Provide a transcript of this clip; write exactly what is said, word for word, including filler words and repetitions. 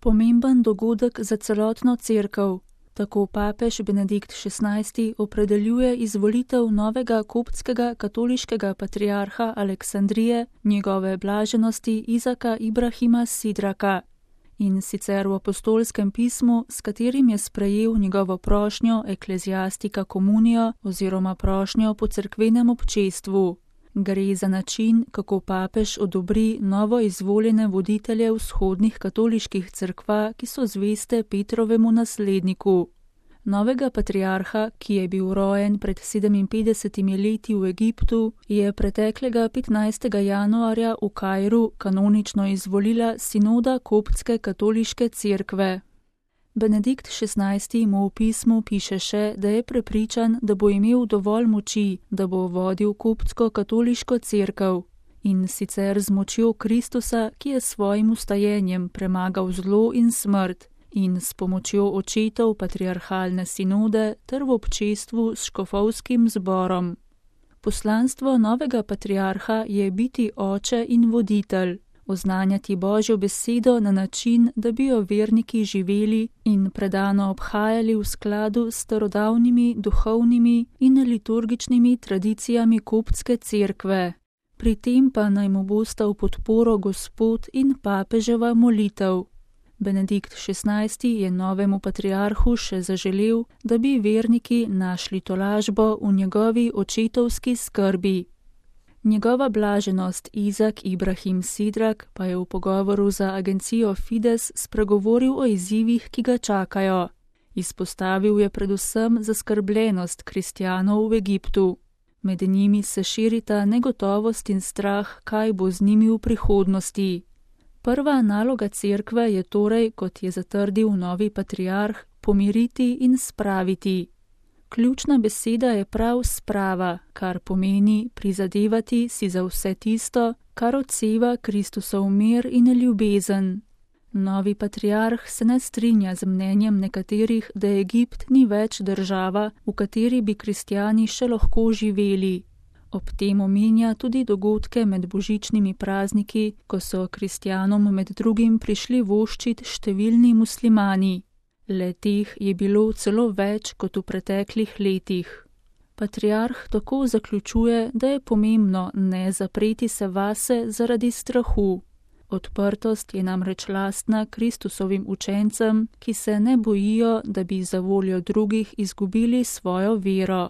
pomemben dogodek za celotno cerkev. Tako papež Benedikt šestnajsti opredeljuje izvolitev novega koptskega katoliškega patriarha Aleksandrije, njegove blaženosti Izaka Ibrahima Sidraka. In sicer v apostolskem pismu, s katerim je sprejel njegovo prošnjo ekleziastika komunijo oziroma prošnjo po cerkvenem občestvu. Gre za način, kako papež odobri novo izvoljene voditelje vzhodnih katoliških cerkva, ki so zveste Petrovemu nasledniku. Novega patriarha, ki je bil rojen pred sedeminpetdesetimi leti v Egiptu, je preteklega petnajstega januarja v Kairu kanonično izvolila sinoda koptske katoliške cerkve. Benedikt šestnajsti mu v pismu piše še, da je prepričan, da bo imel dovolj moči, da bo vodil koptsko katoliško cerkev, in sicer z močjo Kristusa, ki je svojim ustajenjem premagal zlo in smrt, in s pomočjo očetov patriarhalne sinode ter v občestvu s škofovskim zborom. Poslanstvo novega patriarha je biti oče in voditelj, oznanjati Božjo besedo na način, da bi jo verniki živeli in predano obhajali v skladu s starodavnimi duhovnimi in liturgičnimi tradicijami koptske cerkve. Pri tem pa naj mu bosta v podporo Gospod in papeževa molitev. Benedikt šestnajsti je novemu patriarhu še zaželel, da bi verniki našli tolažbo v njegovi očetovski skrbi. Njegova blaženost Izak Ibrahim Sidrak pa je v pogovoru za agencijo Fides spregovoril o izzivih, ki ga čakajo. Izpostavil je predvsem zaskrbljenost kristjanov v Egiptu. Med njimi se širita negotovost in strah, kaj bo z njimi v prihodnosti. Prva naloga cerkve je torej, kot je zatrdil novi patriarh, pomiriti in spraviti. Ključna beseda je prav sprava, kar pomeni prizadevati si za vse tisto, kar odseva Kristusov mir in ljubezen. Novi patriarh se ne strinja z mnenjem nekaterih, da Egipt ni več država, v kateri bi kristjani še lahko živeli. Ob tem omenja tudi dogodke med božičnimi prazniki, ko so kristjanom med drugim prišli voščit številni muslimani. Le teh je bilo celo več kot v preteklih letih. Patriarh tako zaključuje, da je pomembno ne zapreti se vase zaradi strahu. Odprtost je namreč lastna Kristusovim učencem, ki se ne bojijo, da bi za voljo drugih izgubili svojo vero.